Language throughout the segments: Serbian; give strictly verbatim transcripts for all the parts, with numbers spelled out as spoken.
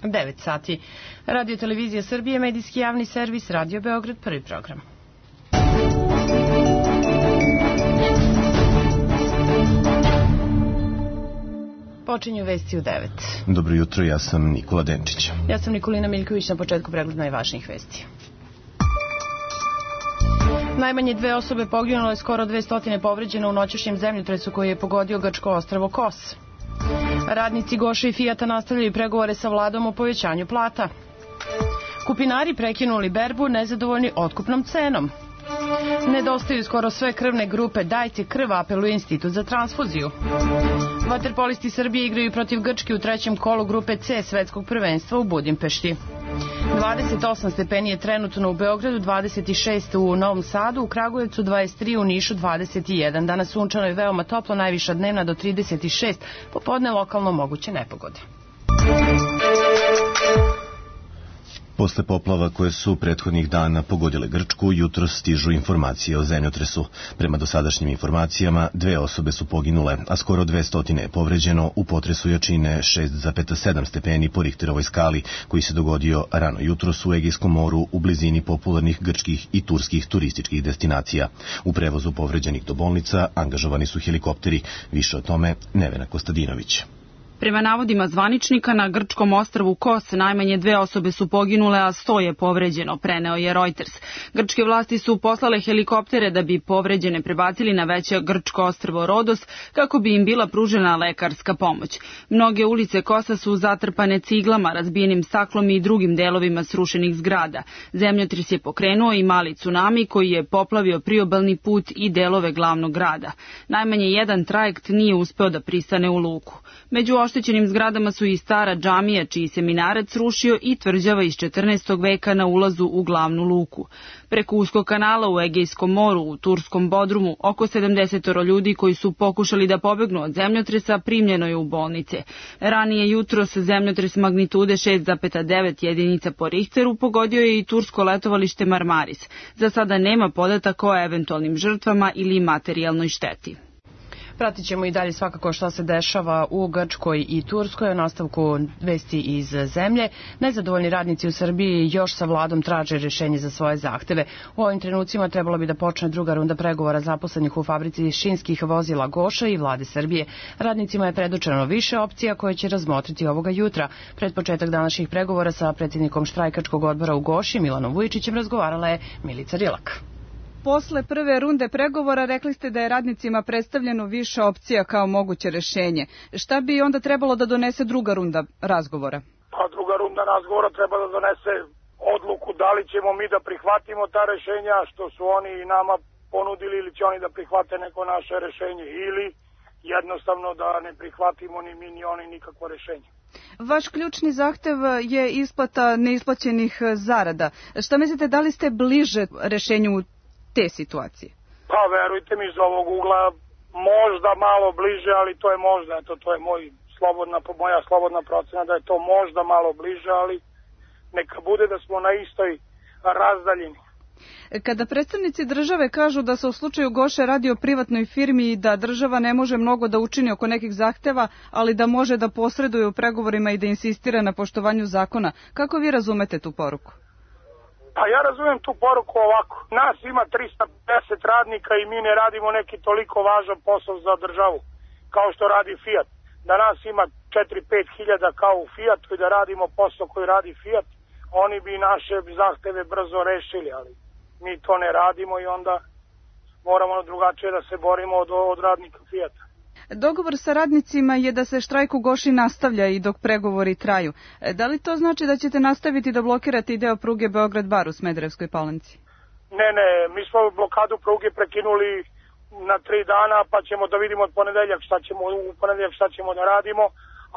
devet sati. Radio Televizija Srbije, medijski javni servis, Radio Beograd, prvi program. Počinju vesti u devet. Dobro jutro, ja sam Nikola Denčić. Ja sam Nikolina Miljković, na početku pregled najvažnijih vesti. Najmanje dve osobe poginule, skoro dve stotine povređeno u noćašnjem zemljotresu koji je pogodio grčko ostrvo Kos. Radnici Goše i Fijata nastavljaju pregovore sa vladom o povećanju plata. Kupinari prekinuli berbu nezadovoljni otkupnom cenom. Nedostaju skoro sve krvne grupe, dajte krv, apeluje Institut za transfuziju. Vaterpolisti Srbije igraju protiv Grčke u trećem kolu grupe C svetskog prvenstva u Budimpešti. dvadeset osam stepeni je trenutno u Beogradu, dvadeset šest u Novom Sadu, u Kragujevcu dvadeset tri, u Nišu dvadeset jedan. Danas sunčano i veoma toplo, najviša dnevna do trideset šest, popodne lokalno moguće nepogode. Posle poplava koje su prethodnih dana pogodile Grčku, jutro stižu informacije o zemljotresu. Prema dosadašnjim informacijama, dve osobe su poginule, a skoro dve stotine je povređeno u potresu jačine šest zarez sedam stepeni po Richterovoj skali, koji se dogodio rano jutros u Egejskom moru u blizini popularnih grčkih i turskih turističkih destinacija. U prevozu povređenih do bolnica angažovani su helikopteri. Više o tome Nevena Kostadinović. Prema navodima zvaničnika, na grčkom ostrvu Kos najmanje dve osobe su poginule, a sto je povređeno, preneo je Reuters. Grčke vlasti su poslale helikoptere da bi povređene prebacili na veće grčko ostrvo Rodos, kako bi im bila pružena lekarska pomoć. Mnoge ulice Kosa su zatrpane ciglama, razbijenim staklom i drugim delovima srušenih zgrada. Zemljotres je pokrenuo i mali tsunami koji je poplavio priobalni put i delove glavnog grada. Najmanje jedan trajekt nije uspeo da pristane u luku. Među oštećenim zgradama su i stara džamija, čiji se minaret srušio, i tvrđava iz četrnaestog veka na ulazu u glavnu luku. Preko uskog kanala u Egejskom moru, u turskom Bodrumu, oko sedamdeset ljudi koji su pokušali da pobegnu od zemljotresa primljeno je u bolnice. Ranije jutros zemljotres magnitude šest zarez devet jedinica po Richteru pogodio je i tursko letovalište Marmaris. Za sada nema podataka o eventualnim žrtvama ili materijalnoj šteti. Pratit ćemo i dalje svakako šta se dešava u Grčkoj i Turskoj. U nastavku vesti iz zemlje. Nezadovoljni radnici u Srbiji još sa vladom traže rješenje za svoje zahteve. U ovim trenucima trebalo bi da počne druga runda pregovora zaposlenih u fabrici šinskih vozila Goša i vlade Srbije. Radnicima je predočeno više opcija koje će razmotriti ovoga jutra. Pred početak današnjih pregovora sa predsjednikom štrajkačkog odbora u Goši, Milanom Vujčićem, razgovarala je Milica Rilak. Posle prve runde pregovora rekli ste da je radnicima predstavljeno više opcija kao moguće rešenje. Šta bi onda trebalo da donese druga runda razgovora? Pa druga runda razgovora treba da donese odluku da li ćemo mi da prihvatimo ta rešenja što su oni nama ponudili, ili će oni da prihvate neko naše rešenje, ili jednostavno da ne prihvatimo ni mi ni oni nikakvo rešenje. Vaš ključni zahtev je isplata neisplaćenih zarada. Šta mislite, da li ste bliže rešenju te situacije? Pa verujte mi, iz ovog ugla možda malo bliže, ali to je možda, eto, to je moj slobodna, moja slobodna procena da je to možda malo bliže, ali neka bude da smo na istoj razdaljini. Kada predstavnici države kažu da se u slučaju Goše radi o privatnoj firmi i da država ne može mnogo da učini oko nekih zahteva, ali da može da posreduje u pregovorima i da insistira na poštovanju zakona, kako vi razumete tu poruku? Pa ja razumem tu poruku ovako. Nas ima trista pedeset radnika i mi ne radimo neki toliko važan posao za državu kao što radi Fiat. Da nas ima četiri do pet hiljada kao u Fiatu i da radimo posao koji radi Fiat, oni bi naše zahteve brzo rešili, ali mi to ne radimo i onda moramo drugačije da se borimo od, od radnika Fiata. Dogovor sa radnicima je da se štrajk u Goši nastavlja i dok pregovori traju. Da li to znači da ćete nastaviti da blokirate i deo pruge Beograd-Bar u Smederevskoj Palanci? Ne, ne, mi smo blokadu pruge prekinuli na tri dana, pa ćemo da vidimo od ponedeljak šta ćemo, u ponedeljak šta ćemo da radimo,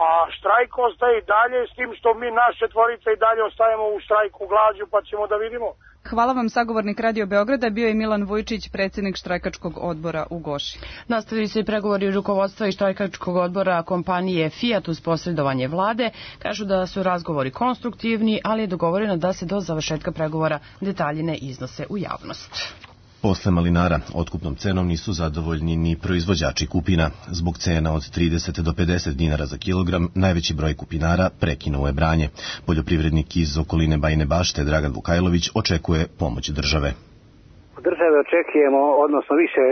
a štrajk ostaje i dalje, s tim što mi naše tvorice i dalje ostajemo u štrajku glađu, pa ćemo da vidimo. Hvala vam, sagovornik Radio Beograda, bio je Milan Vujčić, predsjednik štrajkačkog odbora u Goši. Nastavili se i pregovori rukovodstva i štrajkačkog odbora kompanije Fiat uz posredovanje vlade. Kažu da su razgovori konstruktivni, ali je dogovoreno da se do završetka pregovora detalji ne iznose u javnost. Posle malinara, otkupnom cenom nisu zadovoljni ni proizvođači kupina. Zbog cena od trideset do pedeset dinara za kilogram, najveći broj kupinara prekinuo je branje. Poljoprivrednik iz okoline Bajine Bašte, Dragan Vukajlović, očekuje pomoć države. Od države očekujemo, odnosno više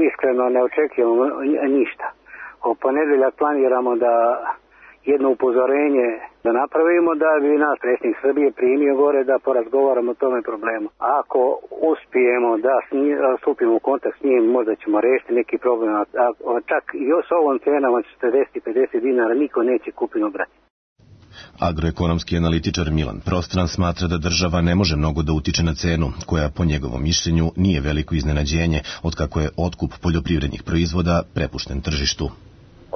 iskreno ne očekujemo ništa. U ponedeljak planiramo da jedno upozorenje da napravimo, da bi nas predsjednik Srbije primio gore da porazgovaramo o tome problemu. Ako uspijemo da stupimo u kontakt s njim, možda ćemo rešiti neki problem, a čak i s ovom cenom od četrdeset do pedeset dinara niko neće kupinu brati. Agroekonomski analitičar Milan Prostran smatra da država ne može mnogo da utiče na cenu, koja po njegovom mišljenju nije veliko iznenađenje, otkako je otkup poljoprivrednih proizvoda prepušten tržištu.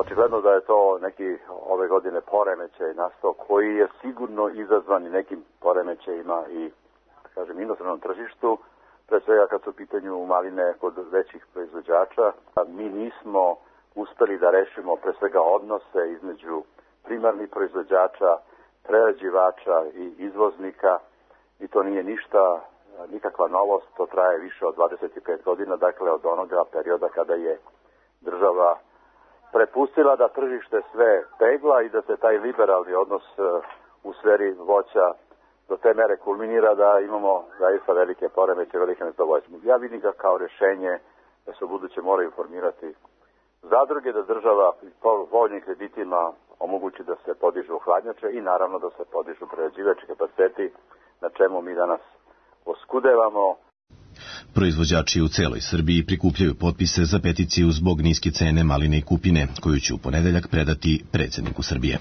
Očigledno da je to neki ove godine poremećaj nastao koji je sigurno izazvan i nekim poremećajima i, da kažem, inostranom tržištu, pre svega kad su u pitanju maline kod većih proizvođača. Mi nismo uspeli da rešimo pre svega odnose između primarnih proizvođača, prerađivača i izvoznika i to nije ništa, nikakva novost, to traje više od dvadeset pet godina, dakle od onoga perioda kada je država prepustila da tržište sve pegla i da se taj liberalni odnos u sferi voća do te mere kulminira da imamo zaista velike poremeće, velike nezadovoljstvo. Ja vidim ga kao rešenje da se u buduće moraju formirati zadruge, da država po voljnim kreditima omogući da se podižu hladnjače i naravno da se podižu prerađivački kapaciteti, na čemu mi danas oskudevamo. Proizvođači u celoj Srbiji prikupljaju potpise za peticiju zbog niske cene maline i kupine, koju će u ponedeljak predati predsjedniku Srbije.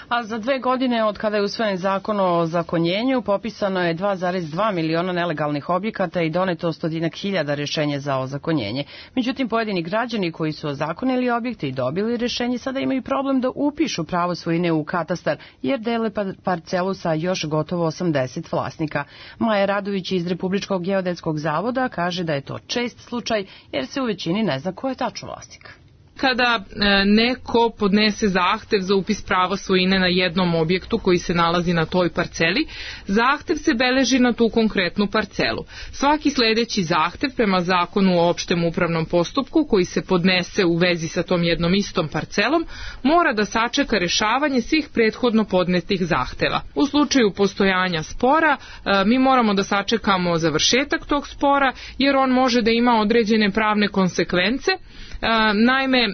A za dve godine od kada je usvojen zakon o ozakonjenju, popisano je dva zarez dva miliona nelegalnih objekata i doneto stotinak hiljada rešenja za ozakonjenje. Međutim, pojedini građani koji su ozakonili objekte i dobili rešenje sada imaju problem da upišu pravo svojine u katastar, jer dele parcelu sa još gotovo osamdeset vlasnika. Maja Radović iz Republičkog geodetskog zavoda kaže da je to čest slučaj, jer se u većini ne zna ko je tačno vlasnik. Kada neko podnese zahtev za upis prava svojine na jednom objektu koji se nalazi na toj parceli, zahtev se beleži na tu konkretnu parcelu. Svaki sledeći zahtev prema zakonu o opštem upravnom postupku koji se podnese u vezi sa tom jednom istom parcelom mora da sačeka rešavanje svih prethodno podnetih zahteva. U slučaju postojanja spora mi moramo da sačekamo završetak tog spora jer on može da ima određene pravne konsekvence. Naime,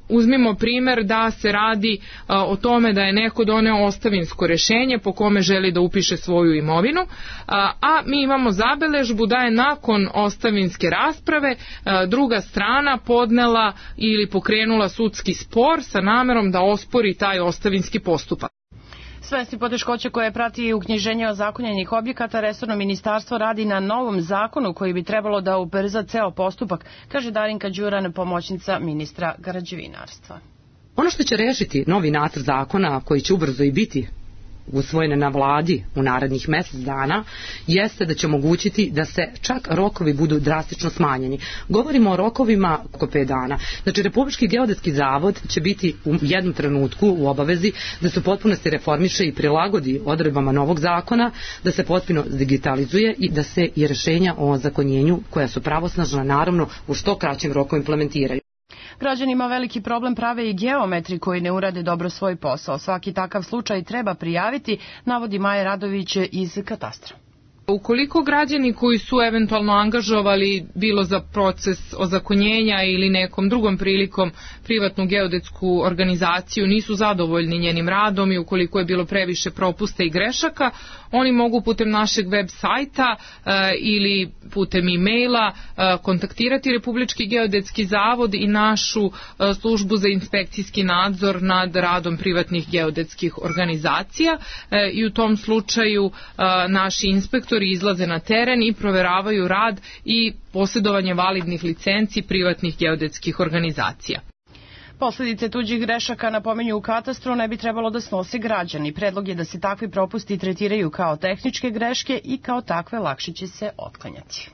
uzmimo primer da se radi o tome da je neko doneo ostavinsko rešenje po kome želi da upiše svoju imovinu, a mi imamo zabeležbu da je nakon ostavinske rasprave druga strana podnela ili pokrenula sudski spor sa namerom da ospori taj ostavinski postupak. Svesni poteškoće koje prati uknjiženje ozakonjenih objekata, resorno ministarstvo radi na novom zakonu koji bi trebalo da ubrza ceo postupak, kaže Darinka Đuran, pomoćnica ministra građevinarstva. Ono što će rešiti novi nacrt zakona, koji će ubrzo i biti usvojene na vladi u narednih mesec dana, jeste da će omogućiti da se čak rokovi budu drastično smanjeni. Govorimo o rokovima oko pet dana. Znači, Republički geodetski zavod će biti u jednom trenutku u obavezi da se potpuno se reformiše i prilagodi odredbama novog zakona, da se potpuno digitalizuje i da se i rešenja o ozakonjenju, koja su pravosnažna, naravno u što kraćem roku implementiraju. Građanima veliki problem prave i geometri koji ne urade dobro svoj posao. Svaki takav slučaj treba prijaviti, navodi Maja Radović iz katastra. Ukoliko građani koji su eventualno angažovali bilo za proces ozakonjenja ili nekom drugom prilikom privatnu geodetsku organizaciju nisu zadovoljni njenim radom i ukoliko je bilo previše propusta i grešaka, oni mogu putem našeg web sajta e, ili putem e-maila e, kontaktirati Republički geodetski zavod i našu e, službu za inspekcijski nadzor nad radom privatnih geodetskih organizacija e, i u tom slučaju e, naši inspektori izlaze na teren i proveravaju rad i posjedovanje validnih licenci privatnih geodetskih organizacija. Posledice tuđih grešaka, napominju u katastru, ne bi trebalo da snose građani. Predlog je da se takvi propusti tretiraju kao tehničke greške i kao takve lakše će se otklanjati.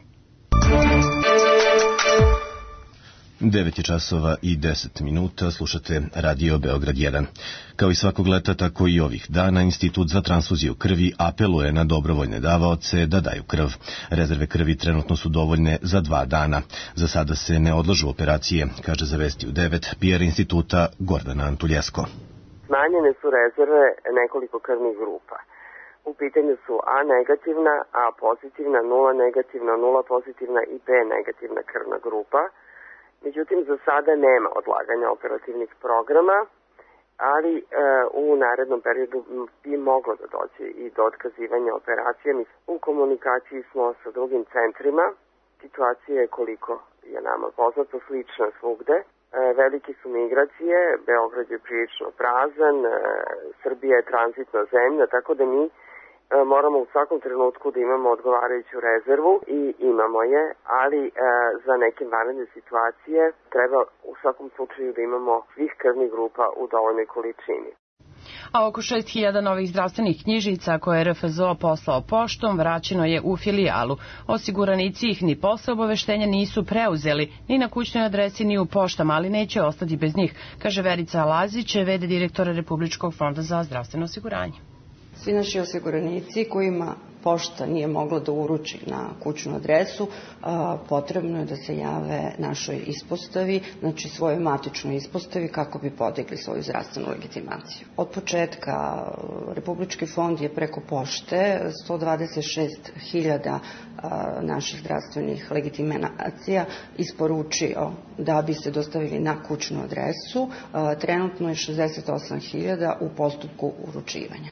devet je časova i deset minuta, slušate Radio Beograd jedan. Kao i svakog leta, tako i ovih dana, Institut za transfuziju krvi apeluje na dobrovoljne davaoce da daju krv. Rezerve krvi trenutno su dovoljne za dva dana. Za sada se ne odlažu operacije, kaže za Vesti u devet P R instituta Gordana Antuljesko. Smanjene su rezerve nekoliko krvnih grupa. U pitanju su A negativna, A pozitivna, nula negativna, nula pozitivna i B negativna krvna grupa. Međutim, za sada nema odlaganja operativnih programa, ali e, u narednom periodu bi moglo da dođe i do otkazivanja operacije. Mi u komunikaciji smo sa drugim centrima. Situacija je, koliko je nama poznato, slična svugde. E, velike su migracije, Beograd je prilično prazan, e, Srbija je tranzitna zemlja, tako da mi moramo u svakom trenutku da imamo odgovarajuću rezervu i imamo je, ali e, za neke vanredne situacije treba u svakom slučaju da imamo svih krvnih grupa u dovoljnoj količini. A oko šest hiljada novih zdravstvenih knjižica koje je R F Z O poslao poštom vraćeno je u filijalu. Osiguranici ih ni posle obaveštenja nisu preuzeli, ni na kućnoj adresi ni u poštama, ali neće ostati bez njih, kaže Verica Lazić, V D direktora Republičkog fonda za zdravstveno osiguranje. Svi naši osiguranici kojima pošta nije mogla da uruči na kućnu adresu, potrebno je da se jave našoj ispostavi, znači svojoj matičnoj ispostavi, kako bi podigli svoju zdravstvenu legitimaciju. Od početka Republički fond je preko pošte sto dvadeset šest hiljada naših zdravstvenih legitimacija isporučio da bi se dostavili na kućnu adresu. Trenutno je šezdeset osam hiljada u postupku uručivanja.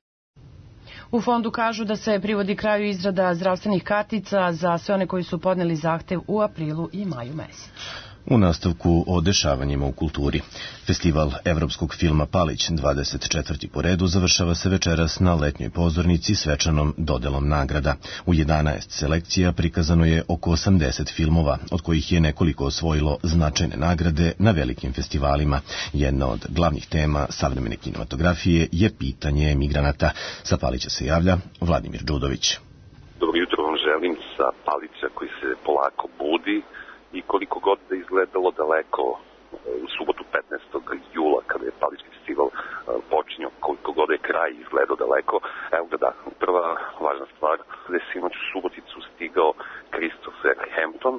U fondu kažu da se privodi kraju izrada zdravstvenih kartica za sve one koji su podneli zahtev u aprilu i maju mesecu. U nastavku o dešavanjima u kulturi. Festival evropskog filma Palić, dvadeset četvrti po redu, završava se večeras na letnjoj pozornici svečanom dodelom nagrada. U jedanaest selekcija prikazano je oko osamdeset filmova, od kojih je nekoliko osvojilo značajne nagrade na velikim festivalima. Jedna od glavnih tema savremene kinematografije je pitanje migranata. Sa Palića se javlja Vladimir Đudović. Dobro jutro vam želim sa Palića koji se polako budi. I koliko god da izgledalo daleko u subotu petnaestog jula kada je Palički festival počinio, koliko god je kraj izgledao daleko, evo ga da, prva važna stvar, da je sinoć u Suboticu stigao Christopher Hampton,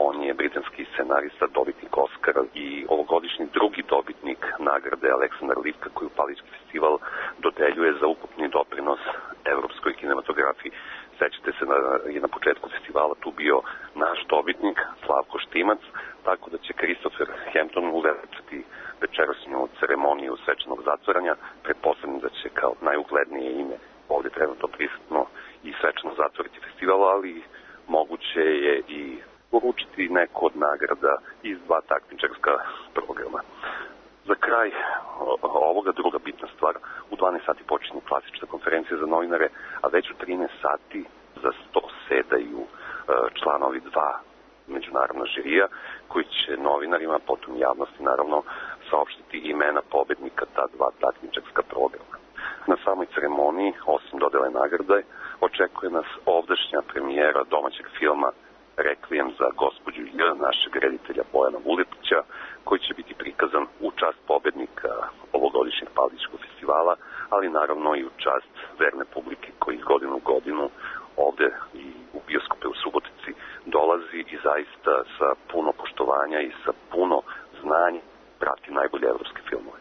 on je britanski scenarista, dobitnik Oscara i ovogodišnji drugi dobitnik nagrade Aleksandar Livka koju Palički festival dodeljuje za ukupni doprinos evropskoj kinematografiji. Sećate se da je na početku festivala tu bio naš dobitnik, Slavko Štimac, tako da će Christopher Hampton uveličati večerašnju ceremoniju svečanog zatvaranja. Pretpostavljam da će kao najuglednije ime ovdje trenutno prisutno i svečano zatvoriti festival, ali moguće je i uručiti neku od nagrada iz dva takmičarska programa. Za kraj ovoga druga bitna stvar, u dvanaest sati počinje klasična konferencija za novinare, a već u trinaest sati za sto sedaju članovi dva međunarodna žirija koji će novinarima, potom javnosti naravno, saopštiti imena pobednika ta dva takmičarska programa. Na samoj ceremoniji, osim dodele nagrade, očekuje nas ovdašnja premijera domaćeg filma Rekvijem za gospođu J, našeg reditelja Bojana Vuletića, koji će biti prikazan u čast pobednika ovogodišnjeg Paličkog festivala, ali naravno i u čast verne publike koji iz godinu u godinu ovde i u bioskope u Subotici dolazi i zaista sa puno poštovanja i sa puno znanja prati najbolje evropske filmove.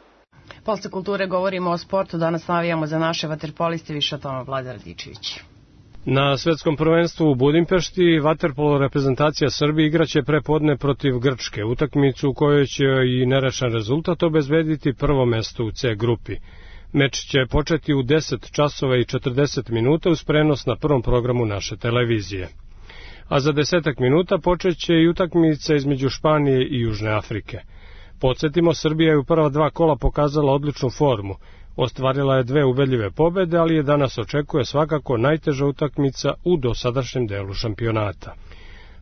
Posle kulture govorimo o sportu, danas navijamo za naše vaterpoliste, više o tome Vlada Radičević. Na svetskom prvenstvu u Budimpešti vaterpolo reprezentacija Srbije igraće prepodne protiv Grčke, utakmicu u kojoj će i nerešen rezultat obezbediti prvo mesto u C grupi. Meč će početi u deset časova i četrdeset minuta uz prenos na prvom programu naše televizije. A za desetak minuta počeće i utakmica između Španije i Južne Afrike. Podsjetimo, Srbija je u prva dva kola pokazala odličnu formu. Ostvarila je dve ubedljive pobede, ali je danas očekuje svakako najteža utakmica u dosadašnjem delu šampionata.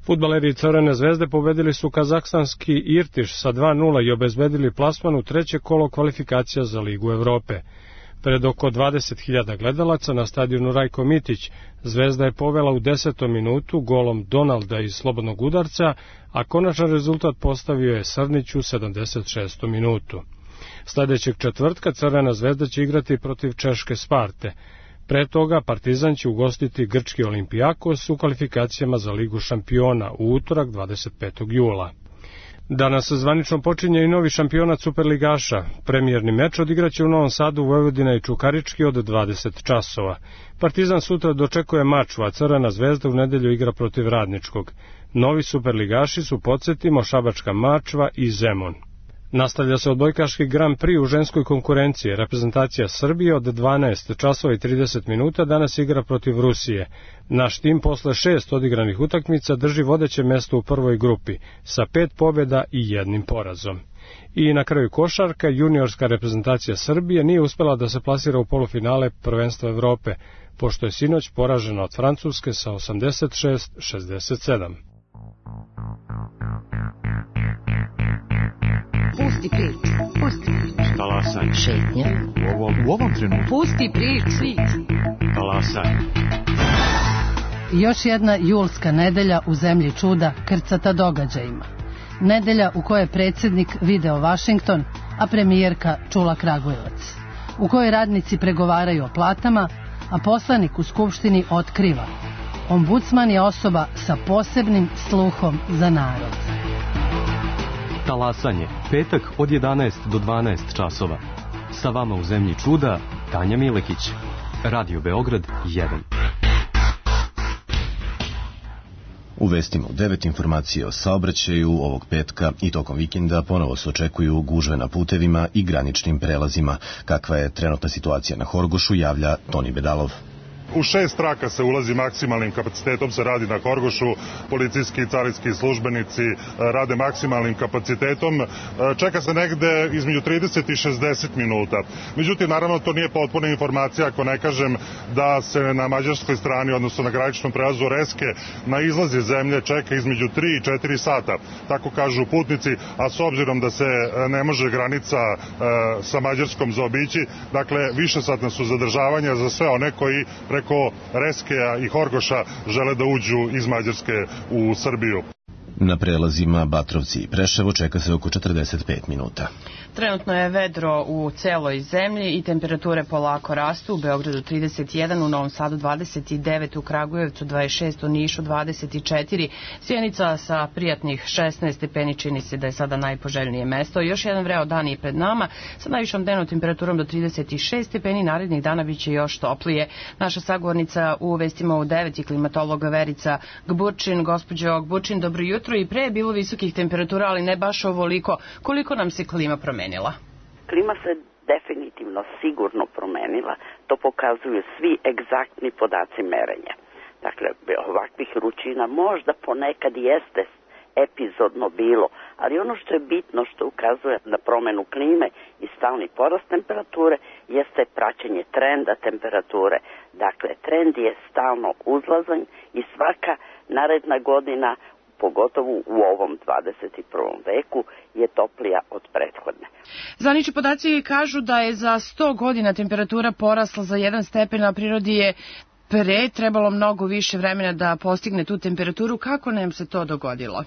Fudbaleri Crvene zvezde pobedili su kazahstanski Irtiš sa dva nula i obezbedili plasman u treće kolo kvalifikacija za Ligu Evrope. Pred oko dvadeset hiljada gledalaca na stadionu Rajko Mitić, Zvezda je povela u desetom minutu golom Donalda iz slobodnog udarca, a konačan rezultat postavio je Srnić u sedamdeset šestom minutu. Sledećeg četvrtka Crvena Zvezda će igrati protiv Češke Sparte. Pre toga Partizan će ugostiti grčki Olimpijakos u kvalifikacijama za Ligu šampiona u utorak dvadeset petog jula. Danas zvanično počinje i novi šampionat Superligaša. Premijerni meč odigraće u Novom Sadu, Vojvodina i Čukarički od dvadeset časova. Partizan sutra dočekuje Mačvu, a Crvena Zvezda u nedelju igra protiv Radničkog. Novi Superligaši su, podsjetimo, Šabačka Mačva i Zemun. Nastavlja se odbojkaški Grand Prix u ženskoj konkurenciji. Reprezentacija Srbije od dvanaest časova i trideset minuta danas igra protiv Rusije. Naš tim posle šest odigranih utakmica drži vodeće mesto u prvoj grupi, sa pet pobjeda i jednim porazom. I na kraju košarka, juniorska reprezentacija Srbije nije uspela da se plasira u polufinale prvenstva Evrope, pošto je sinoć poražena od Francuske sa osamdeset šest šezdeset sedam. Pusti priču, pusti priču. Talasaj. Šetnja. U ovom, u ovom trenutku. Pusti priču. Talasaj. Još jedna julska nedelja u zemlji čuda krcata događajima. Nedelja u kojoj je predsjednik video Vašington, a premijerka čula Kragujevac. U kojoj radnici pregovaraju o platama, a poslanik u Skupštini otkriva. Ombudsman je osoba sa posebnim sluhom za narod. Talasanje, petak od jedanaest do dvanaest časova. Sa vama u zemlji čuda, Tanja Milekić. Radio Beograd jedan. U vestima u devet informacije o saobraćaju ovog petka i tokom vikenda ponovo se očekuju gužve na putevima i graničnim prelazima. Kakva je trenutna situacija na Horgošu, javlja Toni Bedalov. U šest traka se ulazi maksimalnim kapacitetom, se radi na Horgošu, policijski i carinski službenici rade maksimalnim kapacitetom, čeka se negde između trideset i šezdeset minuta. Međutim, naravno, to nije potpuna informacija ako ne kažem da se na mađarskoj strani, odnosno na graničnom prelazu Reske, na izlazi zemlje čeka između tri i četiri sata, tako kažu putnici, a s obzirom da se ne može granica e, sa Mađarskom zaobići, dakle, višesatna su zadržavanja za sve one koji preko Reskeja i Horgoša žele da uđu iz Mađarske u Srbiju. Na prelazima Batrovci i Preševo čeka se oko četrdeset pet minuta. Trenutno je vedro u celoj zemlji i temperature polako rastu. U Beogradu trideset jedan, u Novom Sadu dvadeset devet, u Kragujevcu dvadeset šest, u Nišu dvadeset četiri, Sjenica sa prijatnih šesnaest stepeni, čini se da je sada najpoželjnije mesto. Još jedan vreo dan je pred nama sa najvišom dnevnom temperaturom do trideset šest stepeni, narednih dana biće još toplije. Naša sagovornica u vestima u devet je klimatolog Verica Gburčin. Gospođo Gburčin, dobro jutro. I pre je bilo visokih temperatura, ali ne baš ovoliko. Koliko nam se klima promenila? Klima se definitivno sigurno promenila. To pokazuju svi egzaktni podaci merenja. Dakle, ovakvih vrućina možda ponekad jeste epizodno bilo, ali ono što je bitno, što ukazuje na promenu klime i stalni porast temperature, jeste praćenje trenda temperature. Dakle, trend je stalno uzlazan i svaka naredna godina, pogotovo u ovom dvadeset prvom veku, je toplija od prethodne. Zvanični podaci kažu da je za sto godina temperatura porasla za jedan stepen, a prirodi je pre trebalo mnogo više vremena da postigne tu temperaturu. Kako nam se to dogodilo?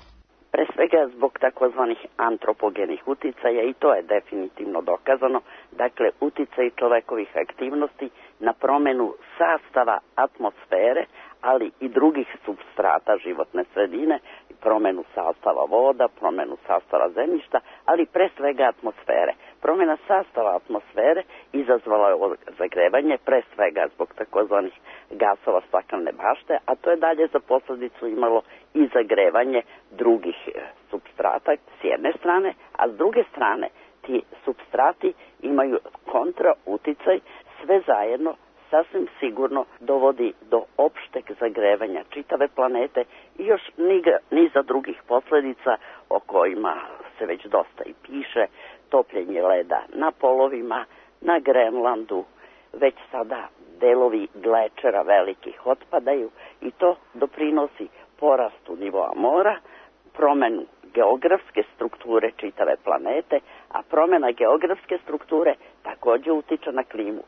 Pre svega zbog takozvanih antropogenih uticaja, i to je definitivno dokazano. Dakle, uticaj čovekovih aktivnosti na promenu sastava atmosfere, ali i drugih substrata životne sredine, promenu sastava voda, promenu sastava zemljišta, ali pre svega atmosfere. Promjena sastava atmosfere izazvala je zagrevanje, pre svega zbog takozvanih gasova staklene bašte, a to je dalje za posljedicu imalo i zagrevanje drugih substrata s jedne strane, a s druge strane ti substrati imaju kontra uticaj, sve zajedno sasvim sigurno dovodi do opšteg zagrevanja čitave planete i još niza drugih posljedica o kojima se već dosta i piše, topljenje leda na polovima, na Grenlandu, već sada delovi glečera velikih otpadaju i to doprinosi porastu nivoa mora, promenu geografske strukture čitave planete, a promjena geografske strukture također utiče na klimu.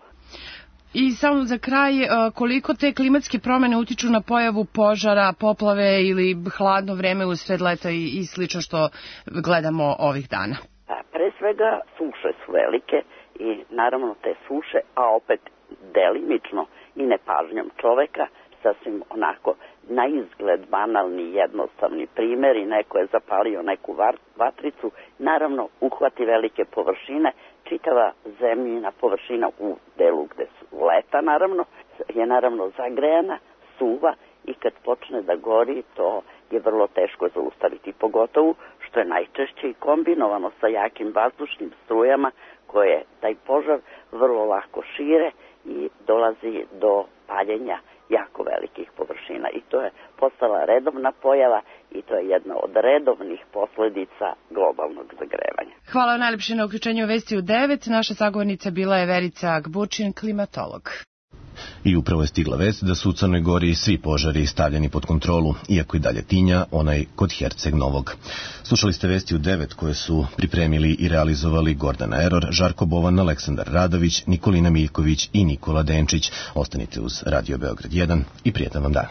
I samo za kraj, koliko te klimatske promene utiču na pojavu požara, poplave ili hladno vreme usred leta i, i slično što gledamo ovih dana? Pa, pre svega suše su velike i naravno te suše, a opet delimično i nepažnjom čoveka, sasvim onako na izgled banalni, jednostavni primjer i neko je zapalio neku vatricu, naravno uhvati velike površine, čitava zemljina površina u delu gde su leta naravno, je naravno zagrejana, suva i kad počne da gori to je vrlo teško zaustaviti, pogotovo što je najčešće i kombinovano sa jakim vazdušnim strujama koje taj požar vrlo lako šire i dolazi do paljenja jako velikih površina i to je postala redovna pojava i to je jedna od redovnih posledica globalnog zagrevanja. Hvala najlepše na uključenju u Vesti u devet. Naša sagovornica bila je Verica Agbučin, klimatolog. I upravo je stigla vest da su u Crnoj Gori svi požari stavljeni pod kontrolu, iako i dalje tinja onaj kod Herceg Novog. Slušali ste Vesti u devet koje su pripremili i realizovali Gordana Eror, Žarko Bovan, Aleksandar Radović, Nikolina Miljković i Nikola Denčić. Ostanite uz Radio Beograd jedan i prijetan vam dan.